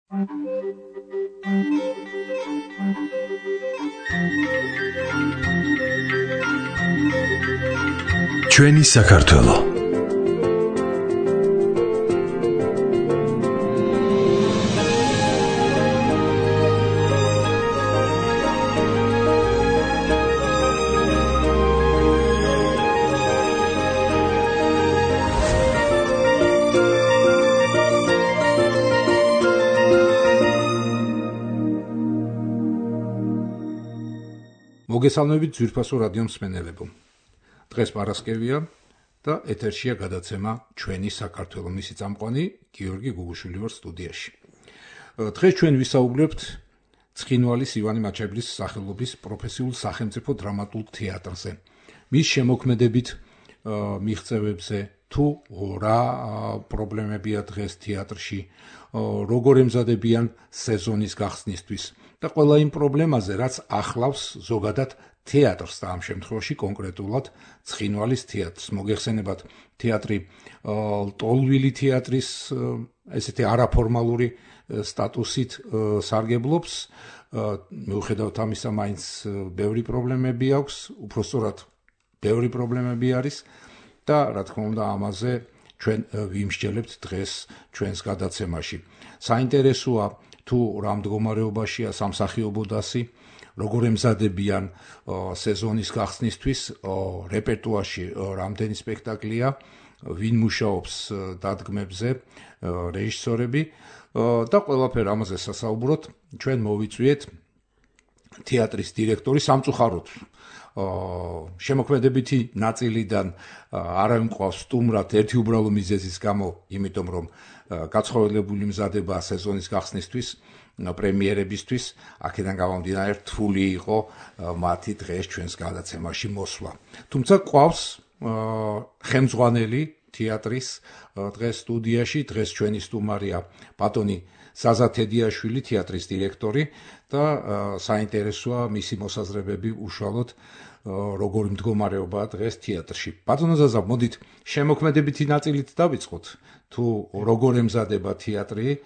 ჩვენი საქართველო მოგესალმებით ძვირფასო რადიო მსმენელებო. დღეს პარასკევია და ეთერშია გადაცემა ჩვენი საქართველო, მისი წამყვანი გიორგი გუგუშვილი ვარ სტუდიაში. დღეს ჩვენ ვისაუბრებთ ცხინვალის ივანე მაჩაბლის სახელობის პროფესიულ სახელმწიფო დრამატულ თეატრზე. მის შემოქმედებით მიღწევებზე თუ რა პრობლემებია დღეს თეატრში, როგორ ემზადებიან სეზონის გახსნისთვის და ყველა იმ პრობლემაზე, რაც ახლავს ზოგადად თეატრს და ამ შემთხვევაში კონკრეტულად ცხინვალის თეატრს. მოგეხსენებათ, თეატრი ლტოლვილი თეატრის ესეთი არაფორმალური სტატუსით სარგებლობს. მიუხედავად ამისა, მაინც ბევრი პრობლემები აქვს, უпростоრად ბევრი პრობლემები არის და რა თქმა უნდა ამაზე ჩვენ ვიმსჯელებთ დღეს ჩვენს გადაცემაში. საინტერესოა თუ რა მდგომარეობაშია სამსახიობო დასი, როგორ ემზადებიან სეზონის გახსნისთვის, რეპერტუარში რამდენი სპექტაკლია, ვინ მუშაობს დადგმებზე, რეჟისორები და ყველაფერ ამაზე სასაუბროთ ჩვენ მოვიწვიეთ თეატრის დირექტორი სამწუხაროდ შემოქმედებითი ნაწილიდან არავინ ყავს სტუმრად ერთი უბრალო მიზეზის გამო, იმიტომ რომ გაცხოველებული მზადება სეზონის გახსნისთვის, პრემიერებისთვის, აქედან გამომდინარე რთული იყო მათი დღეს ჩვენს გადაცემაში მოსვლა. თუმცა ყავს ხელმძღვანელი თეატრის დღეს სტუდიაში, დღეს ჩვენი სტუმარია ბატონი ზაზა თედიაშვილი, თეატრის დირექტორი და საინტერესოა მისი მოსაზრებები უშუალოდ როგორი მდგომარეობაა დღეს თეატრში. ბატონო ზაზა, მოდით შემოქმედებითი ნაწილით დავიწყოთ, თუ როგორ ემზადება თეატრი,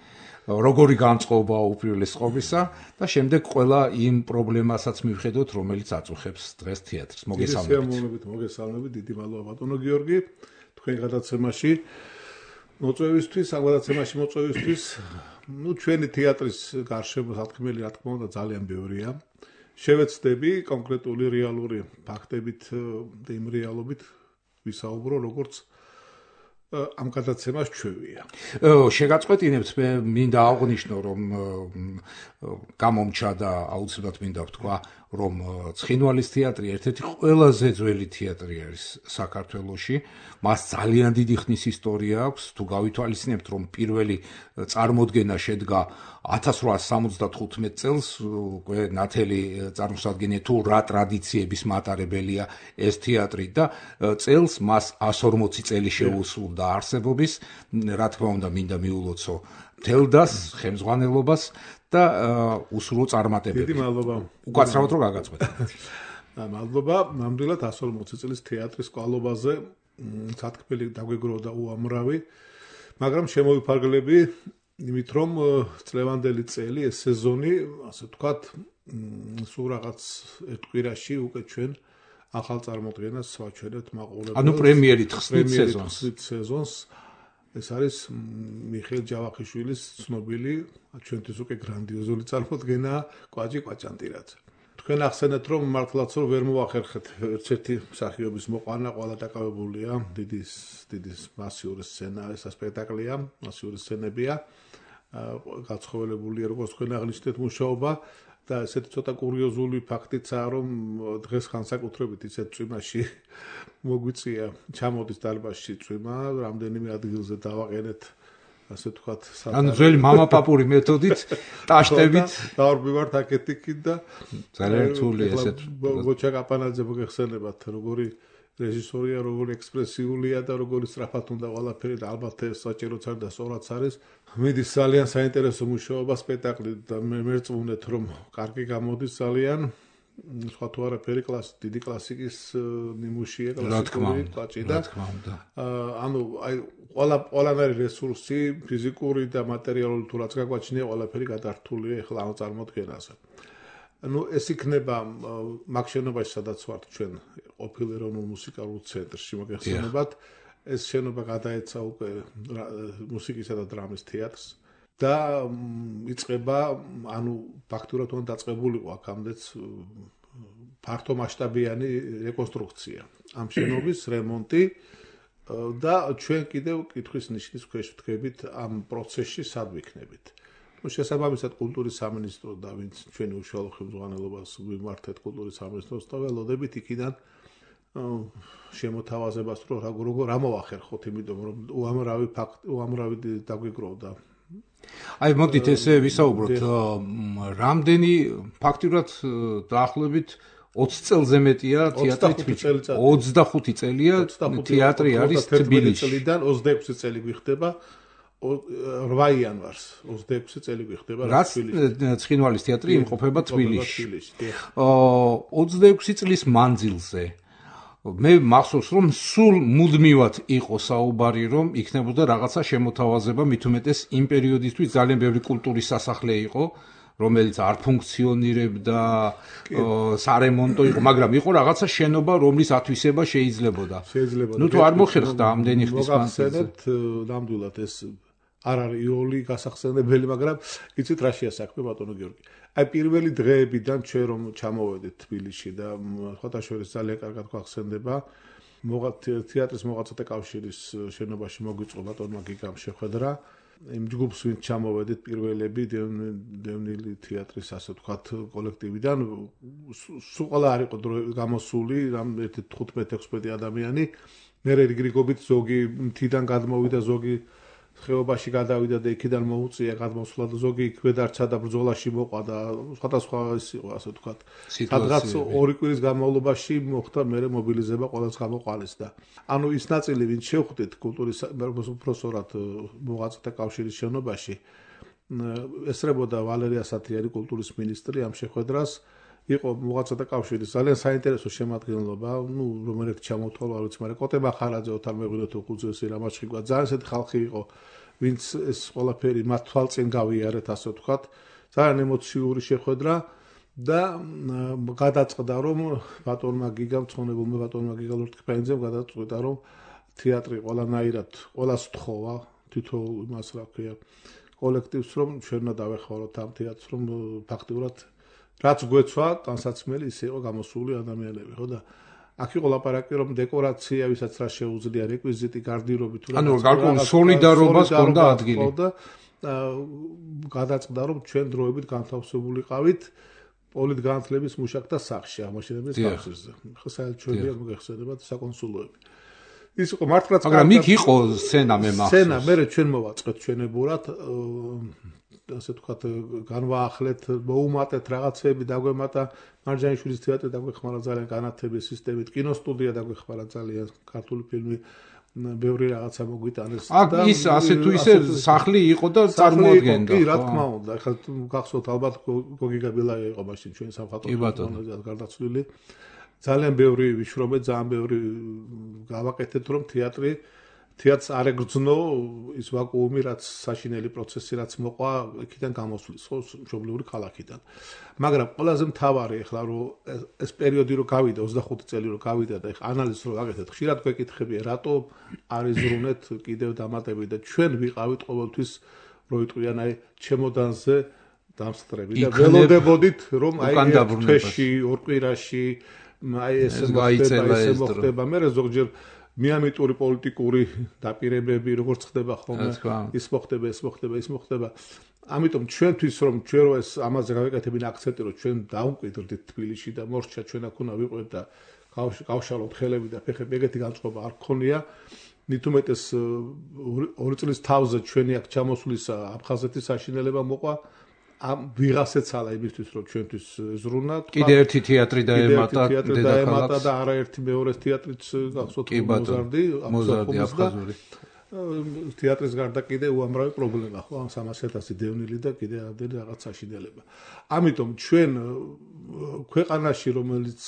როგორი განწყობაა უპირველეს ყოვლისა და შემდეგ ყველა იმ პრობლემასაც მივხედოთ, რომელიც აწუხებს დღეს თეატრს. მოგესალმებით, დიდი მადლობა ბატონო გიორგი, თქვენ გადაცემაში მოწვევისთვის, ჩვენი თეატრის გარშემო სათქმელი რა თქმა უნდა ძალიან ბევრია. შევეცდები კონკრეტული რეალური ფაქტებით და იმ რეალობით ვისაუბრო, როგორც ამ გადაცემას ჩვევია. შეგაწყვეტინებთ, მე მინდა აღვნიშნო, რომ გამომჩა და აუცილებლად მინდა ვთქვა, რომ ცხინვალის თეატრი ერთ-ერთი ყველაზე ძველი თეატრი არის საქართველოში. მას ძალიან დიდი ხნის ისტორია აქვს. თუ გავითვალისწინებთ, რომ პირველი წარმოდგენა შედგა 1875 წელს, უკვე ნათელი წარმოსადგენია თუ რა ტრადიციების მატარებელია ეს თეატრი და წელს მას 140 წელი შეუსრულდა არსებობის. რა თქმა უნდა, მინდა მიულოცო მთელ დას, ხელმძღვანელობას და უსულო წარმატებები. დიდი მადლობა. უკაცრავად რომ გაგაწყვეტეთ. მადლობა, ნამდვილად 140 წლის თეატრის კვალობაზე სათქმელი დაგვეგროვდა უამრავი, მაგრამ შემოვიფარგლები იმით, რომ წლევანდელი წელი, ეს სეზონი, ასე ვთქვათ, სულ რაღაც ერთ კვირაში უკვე ჩვენ ახალ წარმოდგენას ვაჩვენებთ მაყურებელს. ანუ პრემიერით ხსნით სეზონს. ეს არის მიხეილ ჯავახიშვილის ცნობილი, ჩვენთვის უკვე გრანდიოზული წარმოდგენა კვაჭი კვაჭანტირაძე. თქვენ ახსენეთ, რომ მართლაც რომ ვერ მოახერხეთ ერთ-ერთი მსახიობის მოყვანა, ყველა დაკავებულია, დიდი მასიური სცენა, ეს სპექტაკლია, მასიური სცენებია, გაცხოველებულია, როგორც თქვენ აღნიშნეთ, მუშაობა და ესეთი ცოტა კურიოზული ფაქტიცაა, რომ დღეს განსაკუთრებით ისეთ წვიმაში მოგვიწია ჩამოდის დარბაზში წვიმა, რამდენიმე ადგილზე დავაყენეთ, ასე ვთქვათ, ანუ ძველი მამაპაპური მეთოდით, ტაშტებით დავარბივართ აქეთ-იქით და ძალიან რთულია ესეთ. გოჩა კაპანაძე მოგეხსენებათ, როგორი რეჟისორია, როგორი ექსპრესიულია და როგორი სწრაფად უნდა ყველაფერი და ალბათ ეს საჭიროც არის და სწორაც არის. მიდის ძალიან საინტერესო მუშაობა სპექტაკლი და მე მერწმუნეთ, რომ კარგი გამოდის ძალიან. სხვა თუ არაფერი დიდი კლასიკის ნიმუშია, კლასიკური კვაჭი და ანუ აი ყველანაირი რესურსი, ფიზიკური და მატერიალური თუ რაც გაგვაჩნია, ყველაფერი გადართულია ეხლა ამ წარმოდგენაზე. ანუ ეს იქნება მაგ შენობაში, სადაც ვართ ჩვენ ყოფილ ეროვნულ მუსიკალურ ცენტრში მოგეხსენებათ, ეს შენობა გადაეცა უკვე მუსიკისა და დრამის თეატრს და იწყება, ანუ ფაქტურად უნდა დაწყებულიყო აქამდეც ფართო მასშტაბიანი რეკონსტრუქცია ამ შენობის რემონტი და ჩვენ კიდევ კითხვის ნიშნის ქვეშ ვდგებით ამ პროცესში სად ვიქნებით. შესაბამისად კულტურის სამინისტრო და ვინც ჩვენი უშუალო ხელმძღვანელობას ვიმართეთ კულტურის სამინისტროს და ველოდებით იქიდან შემოთავაზებას რომ რა მოახერხოთ, იმიტომ რომ უამრავი დაგვიგროვდა. აი მოდით ესე ვისაუბროთ, რამდენი ფაქტურად დაახლოებით 20 წელზე მეტია თეატრი თბილისში. 25 წელია თეატრი არის თბილისში. წლიდან 26 წელი გვიხდება 8 იანვარს 26 წელი გვიხდება თბილისში. ცხინვალის თეატრი იმყოფება თბილისში. 26 წლის მანძილზე მე მახსოვს რომ სულ მუდმივად იყო საუბარი რომ იქნებოდა რაღაცა შემოთავაზება, მით უმეტეს იმ პერიოდისთვის ძალიან ბევრი კულტურის სასახლე იყო, რომელიც არ ფუნქციონირებდა, სარემონტო იყო, მაგრამ იყო რაღაცა შენობა, რომლის ათვისება შეიძლებოდა. ნუ თუ არ მოხერხდა ამდენი ხნის მანძილზე. ნამდვილად ეს არ არის იოლი გასახსენებელი, მაგრამ იცით რა შეასაქმე ბატონო გიორგი. აი პირველი დღეებიდან ჩვენ რომ ჩამოვედით თბილისში და ხოთაშორის ძალიან კარგად გვახსენდება, თეატრის მოღვაწეთა კავშირის შენობაში მოგვიწყო ბატონმა გიგამ შეხვედრა. იმ ჯგუფს ვინც ჩამოვედით პირველები დევნილი თეატრის ასე ვთქვათ კოლექტივიდან, სულ ყველა არ იყო გამოსული, რამ 15-16 ადამიანი, მე რიგრიგობით ზოგი მთიდან გადმოვიდა, ზოგი ხეობაში გადავიდა და იქიდან მოუწია გადმოსვლა და ზოგი იქვე დარჩა და ბრძოლაში მოყვა და სხვადასხვა ის იყო ასე ვთქვათ. სადღაც 2 კვირის განმავლობაში მოხდა მერე მობილიზება ყველას გამოყალეს და ანუ ის ნაწილი ვინც შევხვდით კულტურის პროფესორად მოღვაწეთა კავშირის შენობაში ესწრებოდა ვალერია სათიარი კულტურის მინისტრი ამ შეხვედრას იყო მოღვაწეთა კავშირის ძალიან საინტერესო შემადგენლობა, ნუ რომელიც ჩამოთვალა, არ ვიცი, მაგრამ კოტე მახარაძე, ოთარ მეღვინეთო ხუძესი, რამაჩხიგვა, ძალიან ესეთი ხალხი იყო, ვინც ეს ყველაფერი მათ თვალწინ გავიარეთ, ასე ვთქვათ, ძალიან ემოციური შეხვედრა და გადაწყდა რომ ბატონმა გიგამ, ცხონებულმა ბატონმა გიგამ ლორთქიფანიძემ გადაწყვიტა რომ თეატრი ყველანაირად ყველას თხოვა, თითოეულ იმას რა ქვია, კოლექტივს რომ ჩვენ უნდა დავეხმაროთ ამ თეატრს, რომ ფაქტურად რაც გვეცვა, განსაცმელი ის იყო გამოსული ადამიანები, ხო და აქ იყო ლაპარაკი რომ დეკორაცია, ვისაც რა შეუძლია, რეკვიზიტი, გარდირობი თუ რა. ანუ გარკვეული სოლიდარობას ჰქონდა ადგილი. და გადაწყდა რომ ჩვენ დროებით განთავსებულიყავით პოლიტგანათლების მუშაკთა სახლში, ამაშენებლის კავშირზე. ხო საერთაშორისო მოგეხსენებათ საკონსულოები. ის იყო მართლაც მაგრამ იქ იყო სცენა მე მახსოვს. სცენა მე ჩვენ მოვაწყეთ ჩვენებურად ასე ვთქვათ, განვაახლეთ, მოუმატეთ რაღაცები, დაგვემატა მარჯანიშვილის თეატრი, დაგვეხმარა ძალიან განათლების სისტემით, კინოსტუდია დაგვეხმარა ძალიან, ქართული ფილმი, ბევრი რაღაცა მოგვიტანეს და ის ასე თუ ისე სახლი იყო და წარმოადგენდა. კი, რა თქმა უნდა, ახლა გახსოვთ ალბათ გოგი გაბილაია იყო მაშინ ჩვენ სამხატვრო გარდაცვლილი. ძალიან ბევრი ვიშრობეთ, ძალიან ბევრი გავაკეთეთ, რომ თეატრს არ ეგრძნო ის ვაკუუმი, რაც საშინელი პროცესი, რაც მოყვა იქიდან გამოსვლის, ხო, მშობლიური ქალაქიდან. მაგრამ ყველაზე მთავარი ახლა რომ ეს პერიოდი რო გავიდა, 25 წელი რო გავიდა და ახლა ანალიზს რო ვაკეთეთ, ხშირად გვეკითხებია, რატო არ იზრუნეთ კიდევ დამატებით და ჩვენ ვიყავით ყოველთვის რო იტყვიან აი ჩემოდანზე დამსწრები და ველოდებოდით რომ აი თვეში, ორ კვირაში აი ეს მოხდება, მე ზოგჯერ მიამიტური პოლიტიკური დაპირებები როგორც ხდება ხოლმე, ის მოხდება. ამიტომ ჩვენთვის რომ ჩვენ რო ეს ამაზე გავეკეთებინა აქცენტი, რომ ჩვენ დავმკვიდრდით თბილისში და მორჩა ჩვენ აქ უნდა ვიყვეთ და გავშალოთ ხელები და ფეხები, ეგეთი განწყობა არ გქონია. მით უმეტეს 2 წლის თავზე ჩვენი აქ ჩამოსვლის აფხაზეთის საშინელება მოყვა. ამ ვიღაცეც ალა იმისთვის რომ ჩვენთვის ზრუნა კიდე ერთი თეატრი დაემატა დედაქალაქს და არაერთი მეორე თეატრიც გახსოვთ მოზარდი აფხაზური თეატრის გარდა კიდე უამრავი პრობლემა ხო ამ 300,000 დევნილი და კიდე ამდენი რაღაც საშინელება. ამიტომ ჩვენ ქვეყანაში რომელიც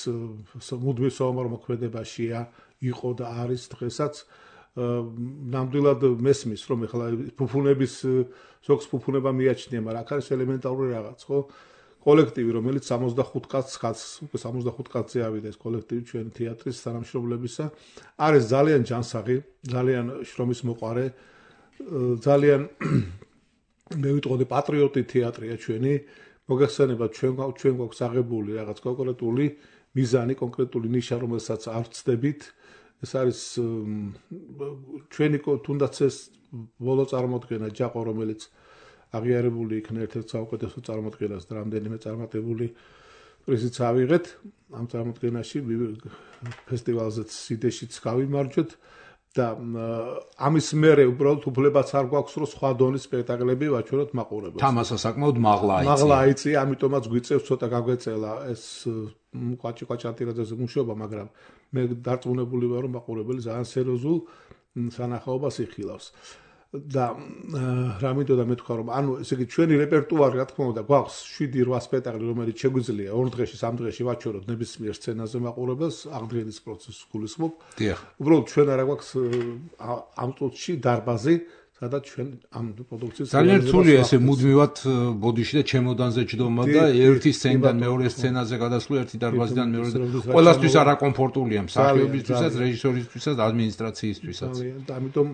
მუდმივ საომარ მოქმედებაშია იყო და არის დღესაც ნამდვილად მესმის რომ ეხლა ფუფუნების ზოგს ფუფუნება მიაჩნია, მაგრამ აქ არის ელემენტარული რაღაც ხო კოლექტივი რომელიც 65 კაცზე ავიდა ეს კოლექტივი ჩვენ თეატრის თანამშრომლებისა არის ძალიან ჯანსაღი, ძალიან შრომის მოყარე, ძალიან მე ვიტყოდი პატრიოტი თეატრია ჩვენი, მოგეხსენება ჩვენ გვაქვს აღებული რაღაც კონკრეტული მიზანი, კონკრეტული ნიშა რომელსაც არ ვწდებით, ეს არის ჩვენი თუნდაც ეს ბოლო წარმოდგენა ჯაყო რომელიც აღიარებული იქნა ერთ-ერთ საუკეთესო წარმოდგენას და რამდენიმე წარმატებული პრიზიც ავიღეთ ამ წარმოდგენაში ფესტივალზეც სიდეშიც გავიმარჯვეთ და ამის მერე უბრალოდ უფლებაც არ გვაქვს რომ სხვა დონის სპექტაკლები ვაჩვენოთ მაყურებელს. თამასა საკმაოდ მაღლა აიწია, ამიტომაც გვიწევს ცოტა გაგვეწელა ეს კვაჭი-კვაჭანტირაძეზე მუშაობა, მაგრამ მე დარწმუნებული ვარ რომ მაყურებელი ძალიან სერიოზულ სანახაობას იხილავს. და რა მინდოდა მეთქვა რომ ანუ ესე იგი ჩვენი რეპერტუარი რა თქმა უნდა გვაქვს 7-8 სპექტაკლი რომელიც შეგვიძლია 2 დღეში 3 დღეში ვაჩვენოთ ნებისმიერ სცენაზე მაყურებელს აღდგენის პროცესს გულისხმობ. უბრალოდ ჩვენ არა გვაქვს ამ წუთში დარბაზი სადაც ჩვენ ამ პროდუქციას ძალიან რთულია ესე მუდმივად ბოდიში და ჩემოდანზე ჯდომა და ერთი სცენიდან მეორე სცენაზე გადასვლა ერთი დარბაზიდან მეორე ყველასთვის არაკომფორტულია მსახიობისთვისაც რეჟისორისთვისაც ადმინისტრაციისთვისაც. ამიტომ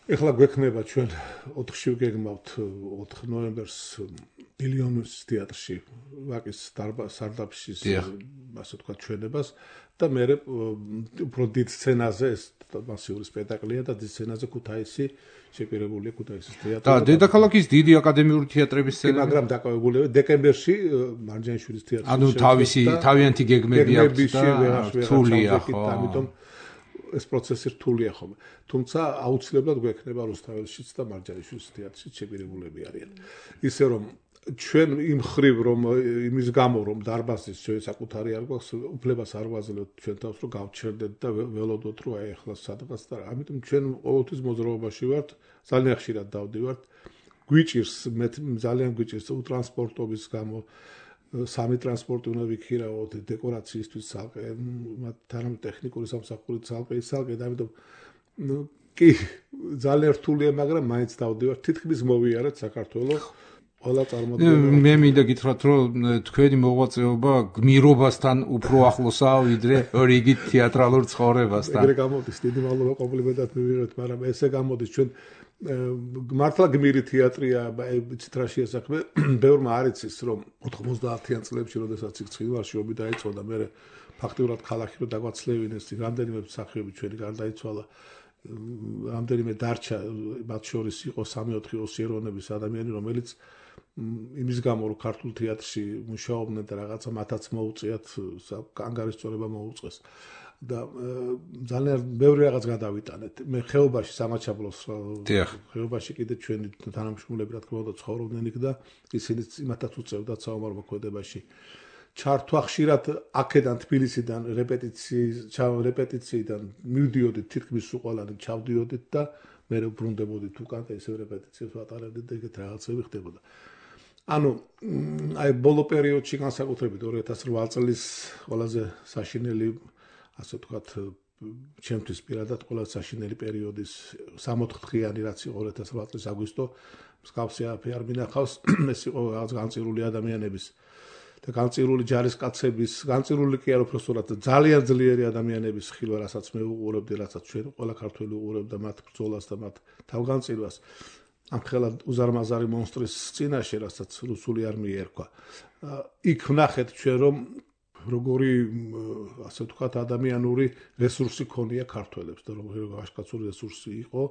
ეხლა გვექნება ჩვენ 4-ში ვგეგმავთ 4 ნოემბერს მილიონის თეატრში ვაკის სარდაფში ასე თქვა ჩვენებას და მე უფრო დიდ სცენაზე ეს მასიური სპექტაკლია და დიდ სცენაზე ქუთაისი შეპირებულია ქუთაისის თეატრი და დედაქალაქის დიდი აკადემიური თეატრების სცენა მაგრამ დაკავებულია დეკემბერში მარჯანიშვილის თეატრში ანუ თავიანთი გეგმები აქვს და რთულია ხო ამიტომ ეს პროცესი რთულია ხოლმე. თუმცა აუცილებლად გვექნება რუსთაველშიც და მარჯანიშვილის თეატრშიც შეპირებულები არიან. ისე რომ ჩვენ იმ ხრივ რომ იმის გამო რომ დარბაზის ჩვენ საკუთარი არ გვაქვს, უფლებას არ ვაძლევთ ჩვენ თავს რომ გავჩერდეთ და ველოდოთ რომ აი ახლა სადღაც და ამიტომ ჩვენ ყოველთვის მოძრაობაში ვართ, ძალიან ხშირად დავდივართ. გვიჭირს მე ძალიან გვიჭირს ტრანსპორტობის გამო სამი ტრანსპორტი უნდა ვიქირავოთ დეკორაციისთვის ცალკე, თანამ ტექნიკური სამსახური ცალკე და ამიტომ კი ძალიან რთულია, მაგრამ მაინც დავდივართ თითქმის მოვიარეთ საქართველოს ყველა წარმოდგენა. მე მინდა გითხრათ რომ თქვენი მოღვაწეობა გმირობასთან უფრო ახლოსაა ვიდრე რიგით თეატრალურ ცხოვრებასთან. ეგრე გამოდის, დიდი მადლობა კომპლიმენტად მივიღეთ, მაგრამ ესე გამოდის ჩვენ მართლა გმირი თეატრია, იცით რა შეასახმე, ბევრმა არ იცის რომ 90-იან წლებში, როდესაც იქ ცხინვალში დაიწყო და მე ფაქტიურად ქალაქი რო დაგვაცლევინეს, რამდენიმე მსახიობი ჩვენი გარდაიცვალა, რამდენიმე დარჩა, მათ შორის იყო 3-4 ოსიერონების ადამიანი, რომელიც იმის გამო რომ ქართულ თეატრში მუშაობდნენ და რაღაცა მათაც მოუწიათ ანგარიშწორება მოუწეს. და ძალიან ბევრი რაღაც გადავიტანეთ. მე ხეობაში სამაჩაბლოს ხეობაში კიდე ჩვენი თანამშრომლები რა თქმა უნდა ცხოვრობდნენ იქ და ისინიც იმათაც უწევდათ საომარ მოქმედებაში. ჩართვა ხშირად აქედან თბილისიდან რეპეტიციიდან მივდიოდით თითქმის უყალანი ჩავდიოდით და მე ვბრუნდებოდით უკან და ისევ რეპეტიციებს ვატარებდით და ეგეთ რაღაცები ხდებოდა. ანუ აი ბოლო პერიოდში განსაკუთრებით 2008 წლის ყველაზე საშინელი ასე ვთქვათ, ჩემთვის პირადად ყველა საშინელი პერიოდის 64 დღიანი რაც იყო 2008 წლის აგვისტო, მსგავსი არაფერი არ მინახავს, ეს იყო რაღაც განწირული ადამიანების და განწირული ჯარისკაცების, განწირული კი არ უბრალოდ ძალიან ძლიერი ადამიანების ხილვა, რასაც მე უყურებდი, რასაც ჩვენ ყველა ქართველი უყურებდა მათ ბრძოლას და მათ თავგანწირვას. ამ ხელა უზარმაზარი მონსტრის წინაშე, რასაც რუსული არმია ერქვა. იქ ვნახეთ ჩვენ რომ როგორი ასე ვთქვათ ადამიანური რესურსი ქონია ქართველებს და როგორი ვაჟკაცური რესურსი იყო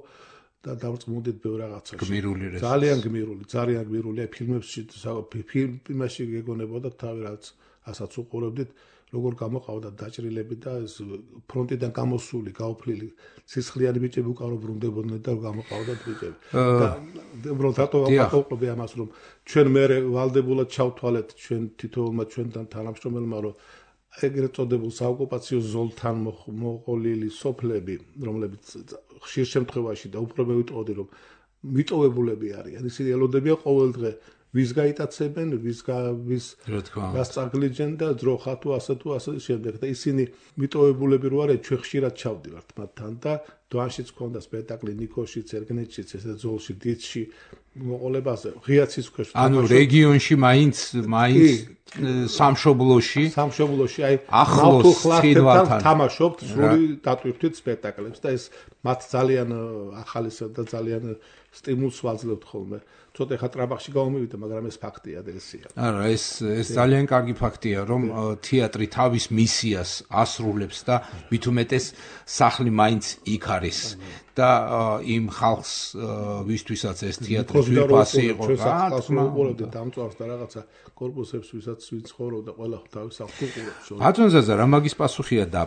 და დავწმუნდით ბევრ რაღაცაში. გმირული რესურსი. ძალიან გმირული ფილმებში გეგონებოდა თავი რაც ასაც უყურებდით როგორ გამოყავდა დაჭრილები და ეს ფრონტიდან გამოსული, გაუფლილი სისხლიანი ბიჭები უკარო ბრუნდებოდნენ და გამოყავდათ ბიჭები. და უბრალოდ რატო ვაყობდი ამას რომ ჩვენ მე ვალდებულად ჩავთვალეთ ჩვენ თითოეულმა ჩვენთან თანამშრომელმა რომ ეგრეთ წოდებულ საოკუპაციო ზოლთან მოყოლილი სოფლები, რომლებიც ხშირ შემთხვევაში და უფრო მე ვიტყოდი, რომ მიტოვებულები არიან, ისინი ელოდებიან ყოველ დღე ვის გაიტაცებენ, ვის გასწაგლიჯენ და ძროხა თუ ასე შემდეგ და ისინი მიტოვებულები რო არიან, ჩვენ ხშირად ჩავდივართ მათთან და დვანშიც ქონდა სპექტაკლი ნიკოშიც, ერგნეთშიც, ესე ძოლში, დიცში მოყოლებაზე, ღიაცის ქვეშ. ანუ რეგიონში მაინც სამშობლოში აი ახლოს ხლართან თამაშობთ სრული დატვირთვით სპექტაკლებს და ეს მათ ძალიან ახალისა და ძალიან სტიმულს ვაძლევთ ხოლმე. ცოტა ხა ტრაბახში გავმივიდა, მაგრამ ეს ფაქტია და ესია. არა, ეს ძალიან კარგი ფაქტია, რომ თეატრი თავის მისიას ასრულებს და მით უმეტეს სახლი მაინც იქ არის. და იმ ხალხს ვისთვისაც ეს თეატრი ძვირფასი იყო რა, უყურებდი დამწვარს და რაღაცა კორპუსებს ვისაც ვიცხოვრობდა ყველა თავის სახლს უყურებს. ბატონზაზა რა მაგის პასუხია და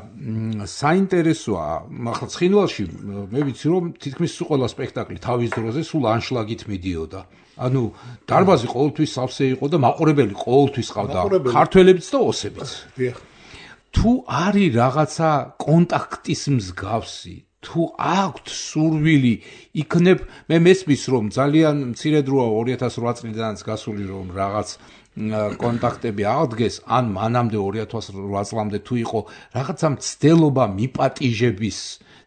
საინტერესოა, ახლა ცხინვალში მე ვიცი რომ თითქმის ყველა სპექტაკლი თავის დროზე სულ ანშლაგით მიდიოდა. ანუ დარბაზი ყოველთვის სავსე იყო და მაყურებელი ყოველთვის ყავდა ქართველებიც და ოსებიც. თუ არის რაღაცა კონტაქტის მსგავსი თუ აქვთ სურვილი იქნებ მე მესმის რომ ძალიან მცირე დროა 2008 წლიდანაც გასული რომ რაღაც კონტაქტები აღდგეს ან მანამდე 2008 წლამდე თუ იყო რაღაცა მცდელობა მიპატიჟების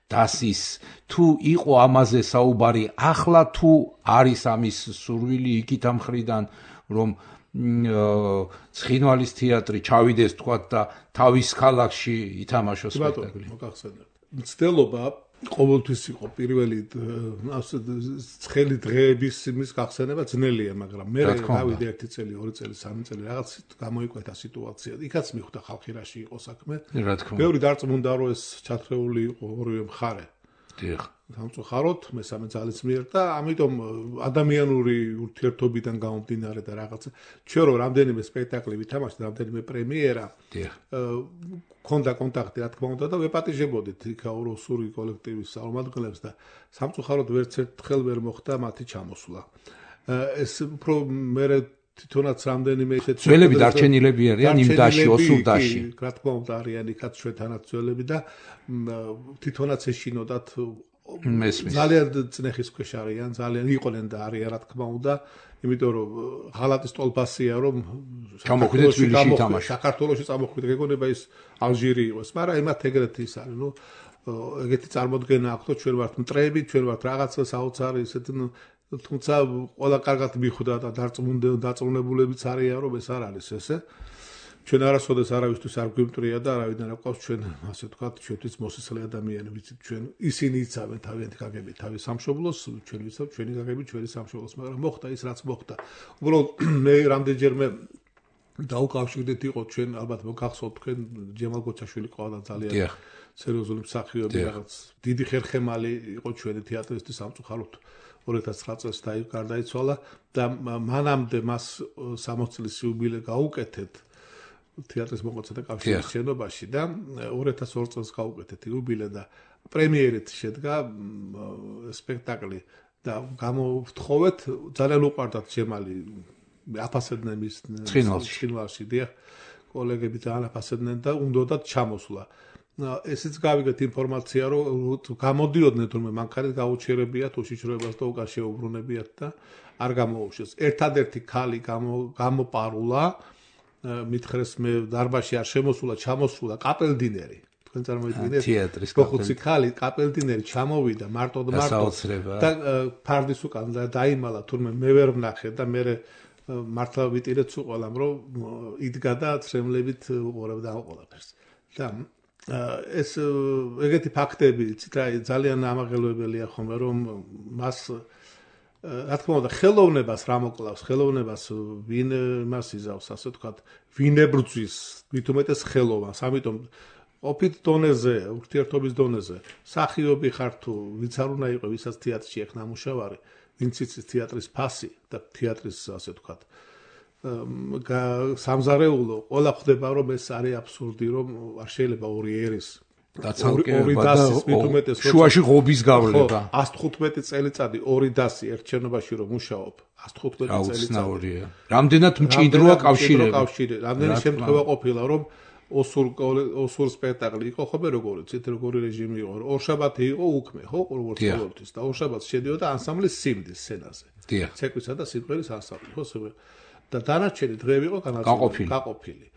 დასის თუ იყო ამაზე საუბარი ახლა თუ არის ამის სურვილი იქით ამ მხრიდან რომ ცხინვალის თეატრი ჩავიდეს თქვათ და თავის ქალაქში ითამაშოს სპექტაკლი მცდელობა ყოველთვის იყო პირველი ცხელი დღეების იმის გახსენება ძნელია, მაგრამ მე გავიდე 1 წელი, 2 წელი, 3 წელი რაღაც გამოიკვეთა სიტუაცია. იქაც მიხვდა ხალხი რაში იყო საქმე. ბევრი დარწმუნდა რომ ეს ჩათრეული იყო ორივე მხარე. დიახ. სამწუხაროდ მესამე ძალის მიერ და ამიტომ ადამიანური ურთიერთობიდან გამომდინარე და რაღაცა ჩვენ რომ რამდენიმე სპექტაკლი ვითამაშეთ, რამდენიმე პრემიერა. დიახ. ქონდა კონტაქტი რა თქმა უნდა და ვეპატიჟებოდით იქაუროსური კოლექტივის წარმომადგენლებს და სამწუხაროდ ვერც ერთხელ ვერ მოხდა მათი ჩამოსვლა. ეს უფრო მე თვითონაც რამდენიმე ისეთი ძველები დარჩენილები არიან იმ დაში ოსურდაში. რა თქმა უნდა არიან იქაც ჩვენთანაც ძველები და თვითონაც ეშინოდათ ძალიან წნეხის ქვეშ არიან, ძალიან იყვნენ და არიან რა თქმა უნდა, იმიტომ რომ ღალატის ტოლფასია რომ ჩამოხვიდეთ თბილისში თამაში. საქართველოში წამოხვიდეთ, გეგონება ის ალჟირი იყოს, მაგრამ იმათ ეგრეთ ის არის, ნუ ეგეთი წარმოდგენა აქვს, ჩვენ ვართ მტრები, ჩვენ ვართ რაღაცა საოცარი ისეთი თუმცა ყველა კარგად მიხვდა და დარწმუნებულებიც არიან რომ ეს არ არის ესე. ჩვენ არასოდეს არავისთვის არ გვიმტრია და არავიდან არ ყავს ჩვენ ასე ვთქვათ ჩვენთვის მოსისხლე ადამიანები ვიცით ჩვენ ისინი იცავენ თავიანთი გაგებით თავის სამშობლოს ჩვენ ვიცავთ ჩვენი გაგებით ჩვენი სამშობლოს მაგრამ მოხდა ის რაც მოხდა უბრალოდ მე რამდენჯერმე დაუკავშირდით იყო ჩვენ ალბათ მოგახსოვთ თქვენ ჯემალ გოჩაშვილი ყავდა ძალიან სერიოზული მსახიობი რაღაც დიდი ხერხემალი იყო ჩვენი თეატრისთვის სამწუხაროდ 2009 წელს გარდაიცვალა და მანამდე მას 60 წლის იუბილე გაუკეთეთ თეატრის მოღვაწეთა კავშირის შენობაში და 2002 წელს გაუკეთეთ იუბილე და პრემიერით შედგა სპექტაკლი და გამოვთხოვეთ ძალიან უყვარდათ ჯემალი აფასებდნენ მის ცხინვალში დიახ კოლეგები ძალიან აფასებდნენ და უნდათ ჩამოსვლა ესეც გავიგეთ ინფორმაცია რომ გამოდიოდნენ თუმცა მანქანით გაუჩერებიათ უშიშროებას და უკან შეუბრუნებიათ და არ გამოუშვეს ერთადერთი ქალი გამოპარულა მითხრეს მე დარბაზში არ შემოსულა ჩამოსულა კაპელდინერი თქვენ წარმოიდგინეთ თეატრის კაპელდინერი ქალი კაპელდინერი ჩამოვიდა მარტო და ფარდის უკან დაიმალა თურმე მე ვერ ვნახე და მე მართლა ვიტირეთ უყოლამ რომ იდგა და ცრემლებით უყურებდა ყველაფერს და ეს ეგეთი ფაქტები ძალიან ამაღელვებელია ხომ რომ მას რა თქმა უნდა ხელოვნებას რა მოკლავს ხელოვნებას ვინ მას იზავს ასე ვთქვათ ვინ ებრძვის მით უმეტეს ხელოვნებას ამიტომ ოფით დონეზე ურთიერთობის დონეზე სახიობი ხარ თუ ვიც არ უნდა იყო ვისაც თეატრში ეხ ნამუშევარი ვინც იცის თეატრის ფასი და თეატრის ასე ვთქვათ სამზარეულო ყველა ხდება რომ ეს არის აბსურდი რომ არ შეიძლება ორი ერის ორი დასის მით უმეტეს შუაში ღობის გავლება 115 წელიწადი ორი დასი ერთ შენობაში რომ მუშაობ 115 წელიწადი რამდენად მჭიდროა კავშირი რამდენი შემთხვევა ყოფილა რომ ოსურ სპექტაკლი იყო ხოლმე როგორი რეჟიმი იყო ორშაბათი იყო უქმე ხო როგორც ყოველთვის და ორშაბათს შედიოდა ანსამბლის სიმდის სცენაზე ცეკვისა და სიმღერის ანსამბლი ხო და დანარჩენი დღეები იყო გაყოფილი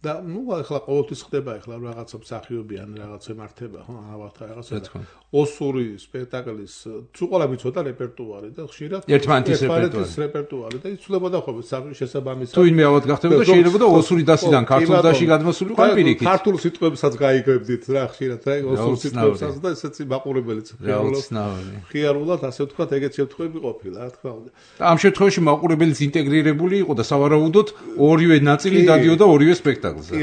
და ახლა ყოველთვის ხდება ახლა რაღაცა მსახიობი ან რაღაც ემართება ხო ავართა რაღაცა ოსური სპექტაკლის თუ ყველა მიცოდა რეპერტუარი და ხშირად ერთმანეთის რეპერტუარი და იცვლებოდა ხოლმე შესაბამისად თუ ინმე ავად გახდებოდა შეიძლება ოსური დასიდან ქართულ დასში გადმოსულიყო პირიქით ქართულ სიტყვებსაც გაიგებდით რა ხშირად რა ოსურ სიტყვებსაც და ესეც მაყურებელიც ხიარულად ასე ვთქვათ ეგეთ შემთხვევები ყოფილა რა თქმა უნდა და ამ შემთხვევაში მაყურებელიც ინტეგრირებული იყო და სავარაუდოდ ორივე ნაწილი დადიოდა ორივე სპექტაკლზე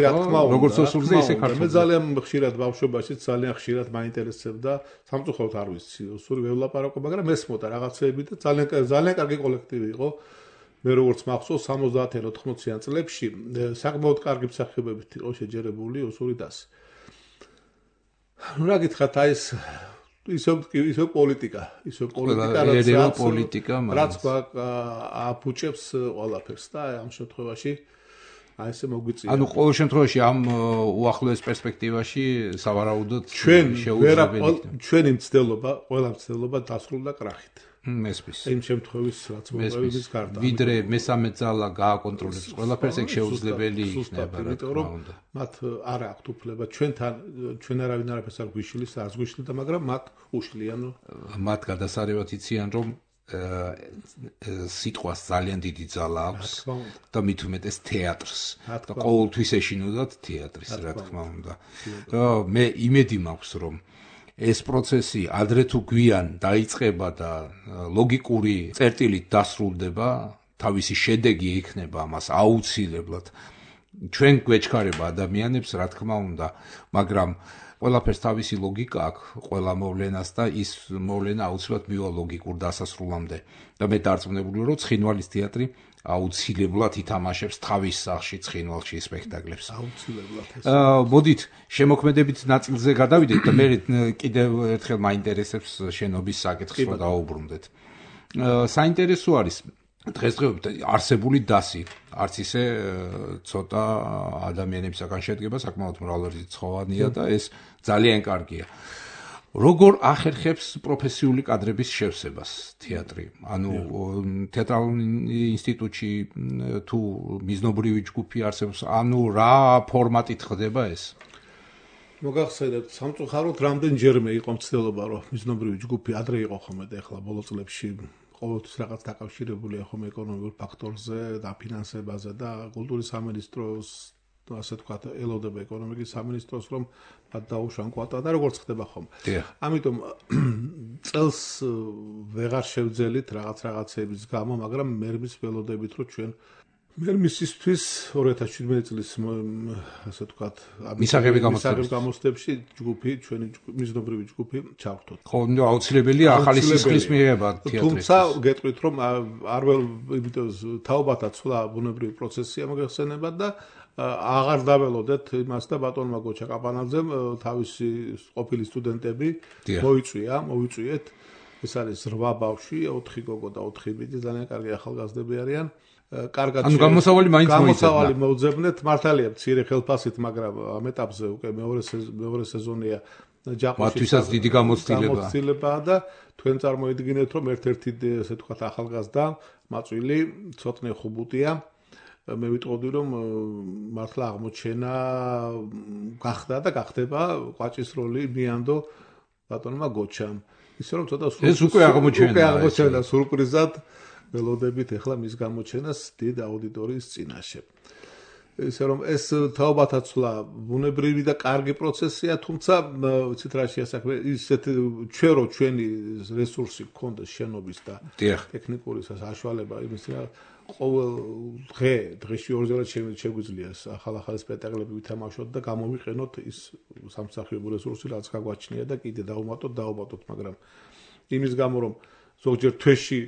როგორც ოსურზე ისე ქართულზე მე ძალიან ხშირად ბავშვობაში ძალიან ხშირად მაინტერესებდა სამწუხაროდ არ ვიცი ოსური ველაპარაკო მაგრამ ესმოდა რაღაცეები და ძალიან კარგი კოლექტივი იყო მე როგორც მახსოვს 70-80-იან წლებში საკმაოდ კარგი მსახიობებით იყო შეჯერებული ოსური დასი რა გითხრათ აი ეს ისო პოლიტიკა რაც აფუჭებს ყველაფერს და ამ შემთხვევაში აი ესე მოგვიწია. ანუ ყოველ შემთხვევაში ამ უახლოეს პერსპექტივაში სავარაუდოდ შეუძლებელი ჩვენი მცდელობა, ყველა მცდელობა დასრულდა კრახით. მესმის. იმ შემთხვევის რაც მოგვიდის გარდა. ვიდრე მესამე ძალა გააკონტროლებს ყველაფერს, ეგ შეუძლებელი იქნება, რა თქმა უნდა. მათ არ აქვთ უფლება ჩვენ არავინ არაფერს არ გვიშლის, არც გვიშლიდა, მაგრამ მათ უშლიან. მათ გადასარევად იციან, რომ სიტყვას ძალიან დიდი ძალა აქვს და მით უმეტეს თეატრს და ყოველთვის ეშინოდათ თეატრის რა თქმა უნდა. მე იმედი მაქვს რომ ეს პროცესი ადრე თუ გვიან დაიწყება და ლოგიკური წერტილით დასრულდება, თავისი შედეგი იქნება ამას აუცილებლად. ჩვენ გვეჩქარება ადამიანებს რა თქმა უნდა, მაგრამ ყველაფერს თავისი ლოგიკა აქვს, ყველა მოვლენას და ის მოვლენა აუცილებლად მივა ლოგიკურ დასასრულამდე. და მე დარწმუნებული რომ ცხინვალის თეატრი აუცილებლად ითამაშებს თავის სახში ცხინვალში სპექტაკლებს. აუცილებლად. მოდით შემოქმედებით ნაწილზე გადავიდეთ და მე კიდევ ერთხელ მაინტერესებს შენობის საკითხს რომ დავუბრუნდეთ. საინტერესო არის დღესდღეობით არსებული დასი არც ისე ცოტა ადამიანებისაგან შედგება, საკმაოდ მრავალრიცხოვანია და ეს ძალიან კარგია. როგორ ახერხებს პროფესიული კადრების შევსებას თეატრი? ანუ თეატრალურ ინსტიტუტში თუ მიზნობრივი ჯგუფი არსებობს, ანუ რა ფორმატით ხდება ეს? მოგახსენებთ, სამწუხაროდ რამდენჯერმე იყო მცდელობა, რომ მიზნობრივი ჯგუფი ადრე იყო ხოლმე და ახლა ბოლო წლებში ყოველთვის რაღაც დაკავშირებულია ხომ ეკონომიკურ ფაქტორზე და ფინანსებაზე და კულტურის სამინისტროს ასე ვთქვათ ელოდება ეკონომიკის სამინისტროს რომ მათ დაუშვან კვოტა და როგორც ხდება ხომ. ამიტომ წელს ვეღარ შევძელით რაღაცეების გამო, მაგრამ მერმის ველოდებით რომ ჩვენ მერმისისთვის 2017 წლის ასე ვთქვათ მისაღები გამოცდებში ჯგუფი ჩვენი მიზნობრივი ჯგუფი ჩავრთოთ. ხო, აუცილებელია ახალი სისხლის მიღება თეატრში. თუმცა გეტყვით რომ არ վել იმიტომ თაობათა ცვლა ბუნებრივი პროცესია მოგეხსენებათ და აღარ დაველოდეთ იმას და ბატონმა გოჩა კაპანაძემ თავისი ყოფილი სტუდენტები მოვიწვიეთ. ეს არის 8 ბავშვი, 4 გოგო და 4 ბიჭი, ძალიან კარგი ახალგაზრდები არიან. კარგად გამოსავალი მოუძებნეთ, მართალია მცირე ხელფასით, მაგრამ ამ ეტაპზე უკვე მეორე სეზონია ჯაყუშისაც დიდი გამოცდილებაა და თქვენ წარმოიდგინეთ, რომ ერთ-ერთი ესე ვთქვათ ახალგაზრდა მაწვილი ცოტნე ხუბუტია. მე ვიტყოდი რომ მართლა აღმოჩენა გახდა და გახდება ყვაჭის როლი მიანდო ბატონმა გოჩამ. ისე რომ ცოტა ეს უკვე აღმოჩენა სურპრიზად ველოდებით ახლა მის გამოჩენას დიდ აუდიტორიის წინაშე. ისე რომ ეს თაობათა ცვლა ბუნებრივი და კარგი პროცესია, თუმცა ვიცით რა შეასაქმე ისეთ ჩვენი რესურსი გქონდეს შენობის და ტექნიკური საშუალება იმის რა ყოველ დღეში ორჯერ შეგვიძლია ახალ სპექტაკლები ვითამაშოთ და გამოვიყენოთ ის სამსახიობო რესურსი რაც გაგვაჩნია და კიდე დავუმატოთ, მაგრამ იმის გამო რომ ზოგჯერ თვეში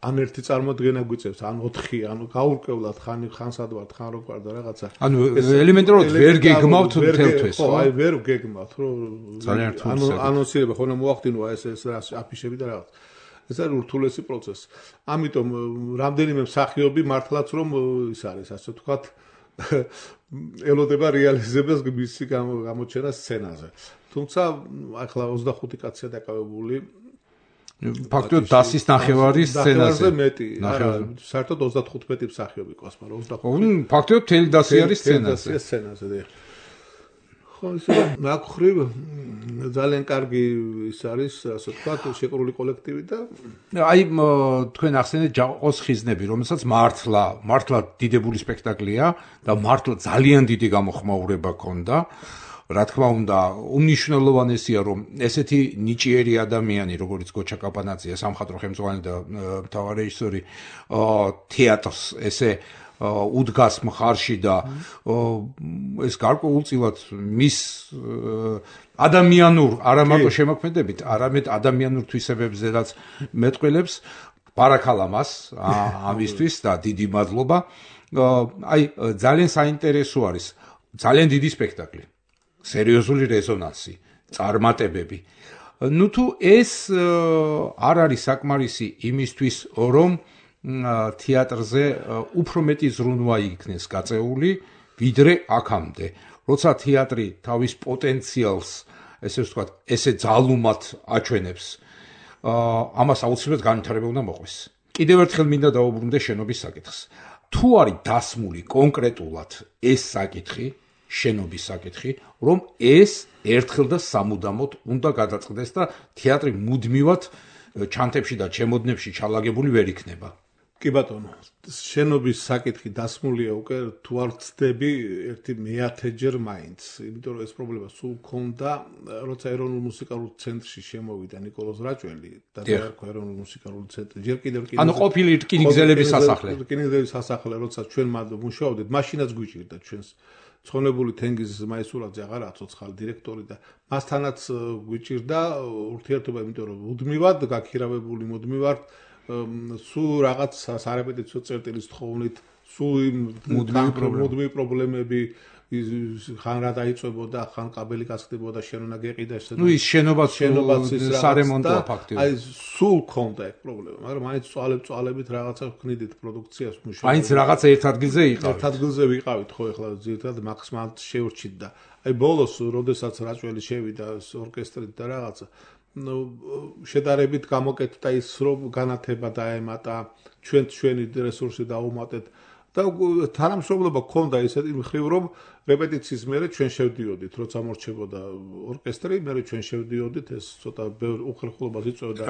ან ერთი წარმოდგენა გვიწევს, ან 4, ანუ გაურკვევლად ხანსად ვართ, ხან რო ვარ და რაღაცა. ანუ ელემენტარულად ვერ გეგმავთ მთელ თვეს, ხო, აი ვერ გეგმავთ, რომ ძალიან რთული. ანუ ანონსირება ხოლმე მოახდინოა ეს აფიშები და რაღაც. ეს არის ურთულესი პროცესი. ამიტომ რამდენიმე მსახიობი მართლაც რომ ის არის, ასე ვთქვათ, ელოდება რეალიზებას მისი გამოჩენა სცენაზე. თუმცა ახლა 25 კაცია დაკავებული ფაქტობრივად დასის ნახევარი სცენაზე მეტი. არა, საერთოდ 35 მსახიობი ყავს, მაგრამ 25. ფაქტობრივად მთელი დასი არის სცენაზე. ხო, ისე მაგხრივ ძალიან კარგი ის არის, ასე ვთქვათ, შეკრული კოლექტივი და აი თქვენ ახსენეთ ჯაყოს ხიზნები, რომელსაც მართლა დიდებული სპექტაკლია და მართლა ძალიან დიდი გამოხმაურება ჰქონდა. რა თქმა უნდა, უმნიშვნელოვანესია, რომ ესეთი ნიჭიერი ადამიანი, როგორც გოჩა კაპანაძია, სამხატვრო ხელმძღვანელი და მთავარი რეჟისორი, თეატრს ესე უდგას მხარში და ეს გარკვეულწილად მის ადამიანურ არა მარტო შემოქმედებით, არამედ ადამიანურ თვისებებზედაც მეტყველებს. ბარაქალა მას ამისთვის და დიდი მადლობა. აი ძალიან საინტერესო არის, ძალიან დიდი სპექტაკლი. სერიოზული რეზონანსი, წარმატებები. ნუ თუ ეს არ არის საკმარისი იმისთვის, რომ თეატრზე უფრო მეტი ზრუნვა იქნეს გაწეული, ვიდრე აქამდე. როცა თეატრი თავის პოტენციალს, ესე ვთქვათ, ესე ძალუმად აჩვენებს, ამას აუცილებლად განვითარება უნდა მოყვეს. კიდევ ერთხელ მინდა დავუბრუნდე შენობის საკითხს. თუ არის დასმული კონკრეტულად ეს საკითხი, შენობის საკითხი, რომ ეს ერთხელ და სამუდამოდ უნდა გადაწყდეს და თეატრი მუდმივად ჩანთებში და ჩემოდნებში ჩალაგებული ვერ იქნება. კი ბატონო, შენობის საკითხი დასმულია უკვე თუ არ ვცდები ერთი მეათეჯერ მაინც, იმიტომ რომ ეს პრობლემა სულ ქონდა, როცა ეროვნულ მუსიკალურ ცენტრში შემოვიდა ნიკოლოზ რაჭველი და დაერქვა ეროვნულ მუსიკალურ ცენტრი. ჯერ კიდევ ანუ ყოფილი რკინიგზელების სასახლე. რკინიგზელების სასახლე, როცა ჩვენ მუშაობდით, მაშინაც გვიჭირდა ჩვენს ცხონებული თენგიზ მაისურაძე აღარაა ცოცხალი დირექტორი და მასთანაც გვიჭირდა ურთიერთობა, იმიტომ რომ მუდმივად გაქირავებული მუდმივად სულ რაღაც სარეპეტიციო წერტილის თხოვნით, სულ მუდმივი პრობლემები ხან რა დაიწვებოდა, ხან კაბელი გასხდებოდა, შენ უნდა გეყიდა ესე. ნუ ის შენობაც სარემონტოა ფაქტიურად. აი სულ ქონდა ეს პრობლემა, მაგრამ მაინც წვალებით რაღაცა ვქნიდით პროდუქციას მუშაობთ. მაინც რაღაცა ერთ ადგილზე იყავით. ერთ ადგილზე ვიყავით, ხო, ეხლა ზირთად მაქსიმალურად შევრჩით და აი ბოლოს, როდესაც რაჭველი შევიდა ორკესტრით და რაღაცა შედარებით გამოკეთდა ის, რომ განათება დაემატა, ჩვენი რესურსი დაუმატეთ და თანამშრომლობა ქონდა ისეთი მხრივ, რომ რეპეტიციის მერე ჩვენ შევდიოდით, როცა მორჩებოდა ორკესტრი, მერე ჩვენ შევდიოდით, ეს ცოტა ბევრ უხერხულობას იწვევდა,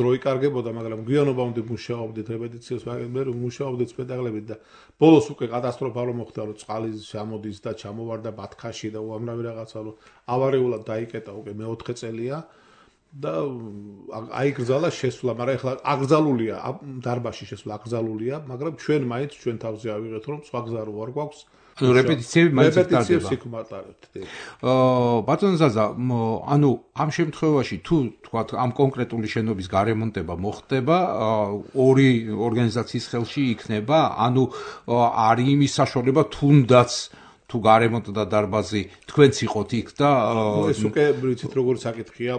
დრო იკარგებოდა, მაგრამ გვიანობამდე მუშაობდით რეპეტიციას, მერე მუშაობდით სპექტაკლებით და ბოლოს უკვე კატასტროფა მოხდა, რომ წყალი ჩამოდის და ჩამოვარდა ბათქაში და უამრავი რაღაცა, რომ ავარიულად დაიკეტა უკვე მეოთხე წელია. და აიგრძალა შესვლა, მაგრამ ეხლა აკრძალულია დარბაზში შესვლა აკრძალულია, მაგრამ ჩვენ მაინც ჩვენ თავზე ავიღეთ, რომ სხვა გზა რო არ გვაქვს. ანუ რეპეტიციები მაინც ტარდება. რეპეტიციებს იქ მატარებთ. ბატონ ზაზა, ანუ ამ შემთხვევაში თუ თქვათ ამ კონკრეტული შენობის გარემონტება მოხდება, ორი ორგანიზაციის ხელში იქნება, ანუ არის იმის საშუალება თუნდაც თუ გარემონტდა დარბაზი თქვენც იყოთ იქ და ეს უკვე ვიცით როგორ საკითხია,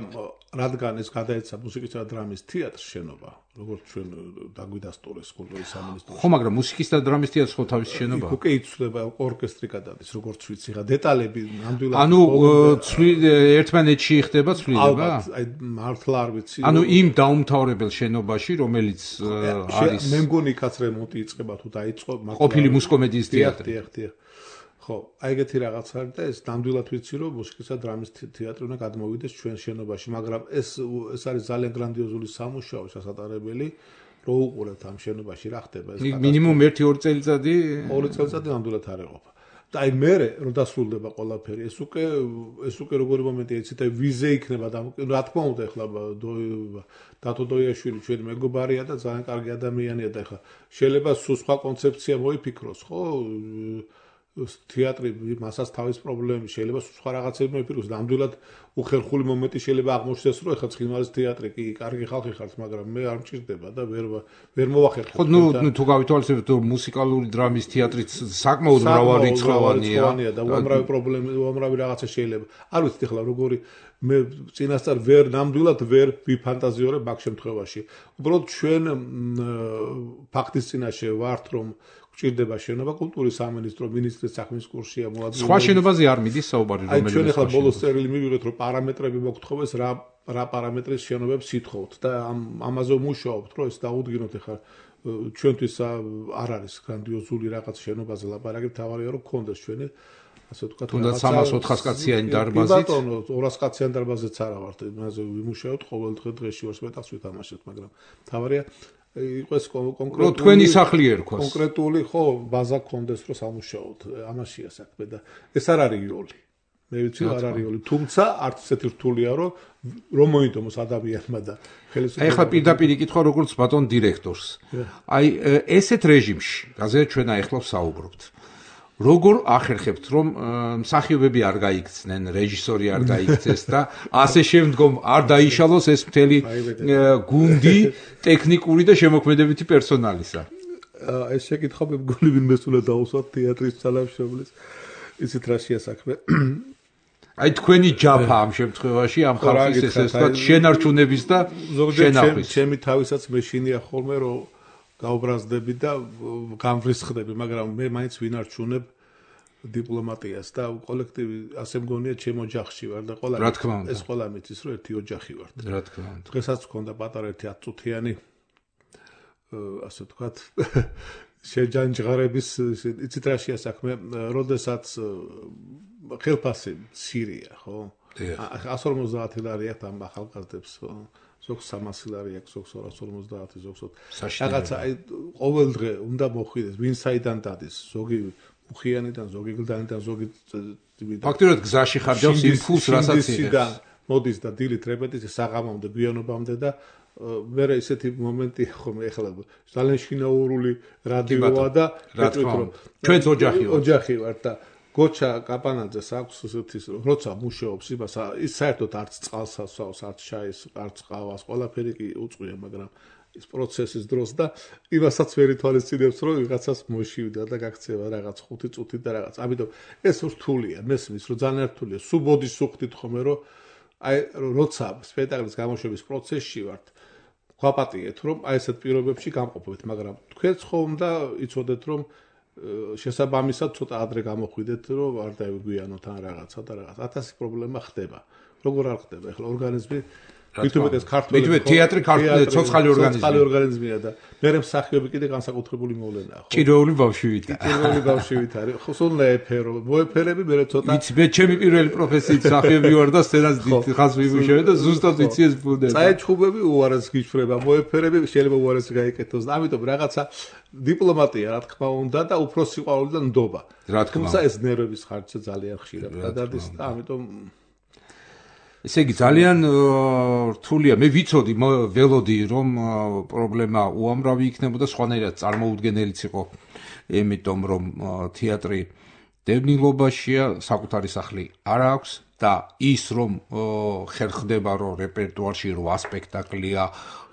რადგან ეს გადაეცა მუსიკისა და დრამის თეატრს შენობა, როგორც ჩვენ დაგვიდასტურეს კულტურის სამინისტროში. ხო, მაგრამ მუსიკის და დრამის თეატრს ხო თავის შენობა? უკვე იცვლება, ორკესტრი გადადის, როგორც ვიცი, ხა დეტალები ნამდვილად. ანუ ერთმანეთში ხდება ცვლილება? აი მართლა არ ვიცი. ანუ იმ დაუმთავრებელ შენობაში, რომელიც არის მე მგონი იქაც რემონტი იწყება თუ დაიწყო, ყოფილი მუსკომედიის თეატრი. ხო, აი ეგეთი რაღაც არის და ეს ნამდვილად ვიცი, რომ მუსიკისა და დრამის თეატრი უნდა გადმოვიდეს ჩვენ შენობაში, მაგრამ ეს არის ძალიან გრანდიოზული სამუშაო შესაძლებელი, რო უყურებთ ამ შენობაში რა ხდება ეს. მინიმუმ 1-2 წელიწადი? 2 წელიწადი ნამდვილად არ ეყოფა. და აი მერე რომ დასრულდება ყველაფერი, ეს უკვე როგორი მომენტია, იცით, აი ვიზე იქნება და რა თქმა უნდა, ეხლა დათო დოიაშვილი ჩვენი მეგობარია და ძალიან კარგი ადამიანია და ეხლა შეიძლება სულ სხვა კონცეფცია მოიფიქროს, ხო? თეატრი მასაც თავის პრობლემები შეიძლება სხვა რაღაცები მოიფიქროს, ნამდვილად უხერხული მომენტი შეიძლება აღმოჩნდეს, რომ ეხლა ცხინვალის თეატრი კი კარგი ხალხი ხართ, მაგრამ მე არ მჭირდება და ვერ მოვახერხებ. ხო, ნუ თუ გავითვალისწინებთ, მუსიკალური დრამის თეატრიც საკმაოდ მრავალრიცხოვანია და უამრავი პრობლემა, უამრავი რაღაცა შეიძლება. არ ვიცით ეხლა როგორი მე წინასწარ ნამდვილად ვერ ვიფანტაზიორებ მაგ შემთხვევაში. უბრალოდ ჩვენ ფაქტის წინაშე ვართ, რომ გვჭირდება შენობა, კულტურის სამინისტრო მინისტრის საქმის კურსია მოადგილე. სხვა შენობაზე არ მიდის საუბარი, რომელიც ჩვენ ახლა ბოლოს წერილი მივიღეთ, რომ პარამეტრები მოგთხოვეს, რა პარამეტრის შენობებს ითხოვთ და ამაზე მუშაობთ, რომ ეს დაუდგინოთ ახლა ჩვენთვის არ არის გრანდიოზული რაღაც შენობაზე ლაპარაკი, თავარია რომ გქონდეს ჩვენი ასე ვთქვათ, თუნდაც 300-400 კაციანი დარბაზით. ბატონო, 200 კაციანი დარბაზიც არა ვართ, იმაზე ვიმუშაოთ ყოველ დღეში ვარ მეტახს ვითამაშეთ, მაგრამ თავარია იყოს კონკრეტული თქვენი სახლი ერქვა. კონკრეტული ხო ბაზა გქონდეს რომ სამუშაოთ. ამაშია საქმე და ეს არ არის იოლი. მე ვიცი არ არის იოლი, თუმცა არც ესეთი რთულია რომ მოინდომოს ადამიანმა და აი ხა პირდაპირ იკითხვა როგორც ბატონ დირექტორს. აი ესეთ რეჟიმში, რაზეც ჩვენ ახლა ვსაუბრობთ. როგორ ახერხებთ რომ მსახიობები არ გაიქცნენ, რეჟისორი არ გაიქცეს და ასე შემდგომ არ დაიშალოს ეს მთელი გუნდი ტექნიკური და შემოქმედებითი პერსონალისა? ეს შეკითხვა მე მგონი ვინმეს უნდა დაუსვათ თეატრის ძალამშრომლის. ისეთ რა შეასაქმე. აი თქვენი ჯაფა ამ შემთხვევაში ამ ხალხის ესე ვთქვათ შენარჩუნების და შენახვის. ჩემი თავისაც მეშინია ხოლმე რომ გაუბრაზდები და გამვრისხდები, მაგრამ მე მაინც ვინარჩუნებ დიპლომატიას და კოლექტივი ასე მგონია ჩემ ოჯახში ვარ და ყველა ეს ყველა მიცის რომ ერთი ოჯახი ვართ. რა თქმა უნდა. დღესაც მქონდა პატარა ერთი 10 წუთიანი ასე ვთქვათ შეჯანჯღარების იცით რა შეასაქმე, როდესაც ხელფასი მცირეა, ხო? 150 ლარი აქვს ამ ახალგაზრდებს, ხო? ზოგს 300 ლარი აქვს, ზოგს 250, ზოგს რაღაცა აი ყოველ დღე უნდა მოხვიდეს, ვინ საიდან დადის, ზოგი მუხიანიდან, ზოგი გლდანიდან, ზოგი ფაქტობრივად გზაში ხარჯავს იმ ფულს, რასაც იღებს. მოდის და დილით რეპეტიცია საღამომდე, გვიანობამდე და მე ისეთი მომენტი ხომ ეხლა ძალიან შინაურული რადიოა და ჩვენც ოჯახი ვართ და გოჩა კაპანაძეს აქვს ისეთის როცა მუშაობს იმას ის საერთოდ არც წყალს ასვავს, არც შაის, არც ყავას, ყველაფერი კი უწყვია, მაგრამ ის პროცესის დროს და იმასაც ვერ ითვალისწინებს რომ ვიღაცას მოშივდა და გაქცევა რაღაც 5 წუთი და რაღაც. ამიტომ ეს რთულია, მესმის რომ ძალიან რთულია. სუბოდის სუხთით ხომე რომ აი როცა სპექტაკლის გამოშვების პროცესში ვართ, გვაპატიეთ რომ აი ესეთ პირობებში გამყოფებით, მაგრამ თქვენც ხომ და იცოდეთ რომ შესაბამისად ცოტა ადრე გამოხვიდეთ რომ არ დაგვიანოთ ან რაღაცა და რაღაც 1000 პრობლემა ხდება. როგორ არ ხდება? ეხლა ორგანიზმი თვითონ ეს ქართული თეატრი ქართული ცოცხალი ორგანიზმია და მე მსახიობი კიდე განსაკუთრებული მოვლენაა, ხო? ჭიროული ბავშვივით. ჭიროული ბავშვივით არის. ხო, სულ ეფერო, მოეფერები მე ცოტა. იცი, მე ჩემი პირველი პროფესიით მსახიობი ვარ და სცენას ხაზ ვიმუშავე და ზუსტად ვიცი ეს ბუნდება. წაეჩხუბები უარეს გიჩვრება, მოეფერები შეიძლება უარეს გაიკეთოს და ამიტომ რაღაცა დიპლომატია რა თქმა უნდა და უფრო სიყვარული და ნდობა. თუმცა ეს ნერვების ხარჯზე ძალიან ხშირად გადადის და ამიტომ ესე იგი ძალიან რთულია. მე ვიცოდი, ველოდი რომ პრობლემა უამრავი იქნებოდა, სხვანაირად წარმოუდგენელიც იყო, იმიტომ რომ თეატრი დევნილობაშია, საკუთარი სახლი არ აქვს და ის რომ ხერხდება რომ რეპერტუარში 8 სპექტაკლია,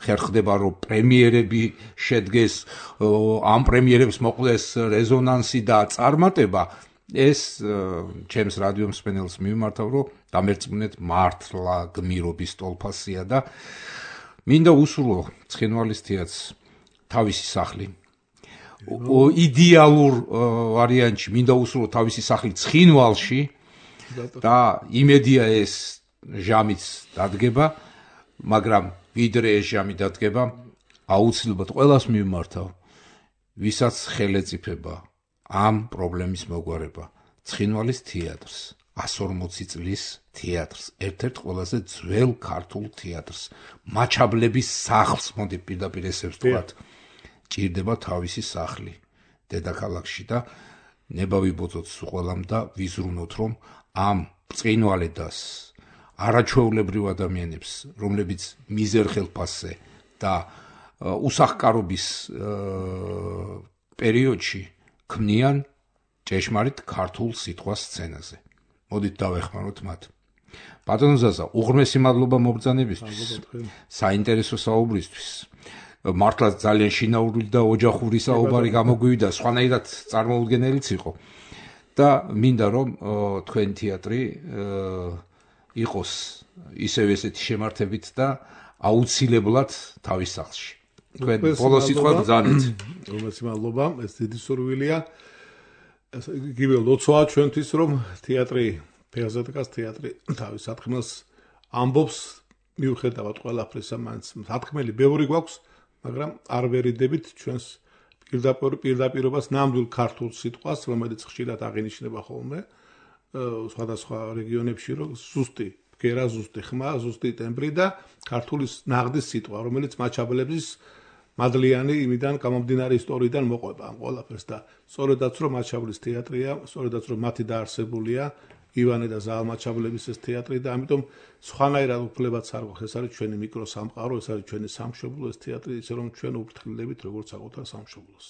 ხერხდება რომ პრემიერები შედგეს, ამ პრემიერებს მოყდეს რეზონანსი და წარმატება, ეს ჩემს რადიო მსმენელს მიმართავ რომ დამერწმუნეთ მართლა გმირობის ტოლფასია და მინდა უსურვო ცხინვალის თეატრს თავისი სახლი. იდეალურ ვარიანტში მინდა უსურვო თავისი სახლი ცხინვალში და იმედია ეს ჟამიც დადგება, მაგრამ ვიდრე ეს ჟამი დადგება, აუცილებლად ყველას მიმართავ, ვისაც ხელეწიფება ამ პრობლემის მოგვარება, ცხინვალის თეატრს, 140 წლის თეატრს, ერთ-ერთ ყველაზე ძველ ქართულ თეატრს, მაჩაბლების სახლს, მოდი პირდაპირ ესე ვთქვათ, ჭირდება თავისი სახლი დედაქალაქში და ნება ვიბოძოთ ყველამ და ვიზრუნოთ, რომ ამ ცხინვალედას არაჩვეულებრივ ადამიანებს, რომლებიც მიზერ ხელფასზე და უსახკარობის პერიოდში ქმნიან ჭეშმარიტ ქართულ სიტყვას სცენაზე. მოდით დავეხმაროთ მათ. ბატონო ზაზა, უღრმესი მადლობა მობრძანებისთვის, საინტერესო საუბრისთვის. მართლა ძალიან შინაური და ოჯახური საუბარი გამოგვივიდა, სხვანაირად წარმოუდგენელიც იყო. და მინდა რომ თქვენ თეატრი იყოს ისევ ესეთი შემართებით და აუცილებლად თავის სახლში. თქვენ ბოლოს სიტყვა ბრძანეთ. რომელს მადლობა, ეს დიდი სურვილია. იგივე ლოცვაა ჩვენთვის, რომ თეატრი, ფერზადკას თეატრი თავის სათხმელს ამბობს, მიუხედავად ყველაფრისა, მაინც სათხმელი ბევრი გვაქვს, მაგრამ არ ვერიდებით ჩვენს პირდაპირობას ნამდვილ ქართულ სიტყვას, რომელიც ხშირად აღინიშნება ხოლმე სხვადასხვა რეგიონებში, რომ ზუსტი ბგერა, ზუსტი ხმა, ზუსტი ტემბრი და ქართულის ნაღდის სიტყვა, რომელიც მაჩაბლების მადლიანი იმიდან გამომდინარე ისტორიიდან მოყვება ამ ყველაფერს და სწორედაც რომ მაჩაბლის თეატრია, სწორედაც რომ მათი დაარსებულია ივანე და ზაალ მაჩაბლების ეს თეატრი და ამიტომ სხვანაირად უფლებაც არ გვაქვს, ეს არის ჩვენი მიკროსამყარო, ეს არის ჩვენი სამშობლო, ეს თეატრი, ისე რომ ჩვენ უფრთხილდებით როგორც საკუთარ სამშობლოს.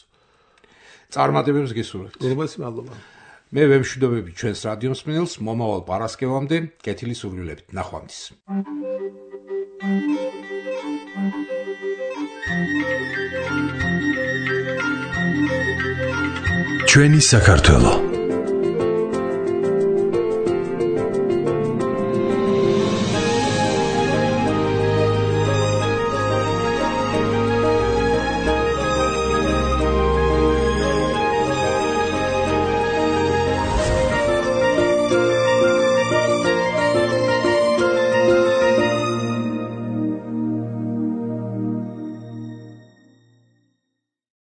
წარმატებებს გისურვებთ. გულმოს მადლობა. მე ვემშვიდობები ჩვენს რადიო მსმენელს მომავალ პარასკევამდე კეთილი სურვილებით. ნახვამდის. ჩვენი საქართველო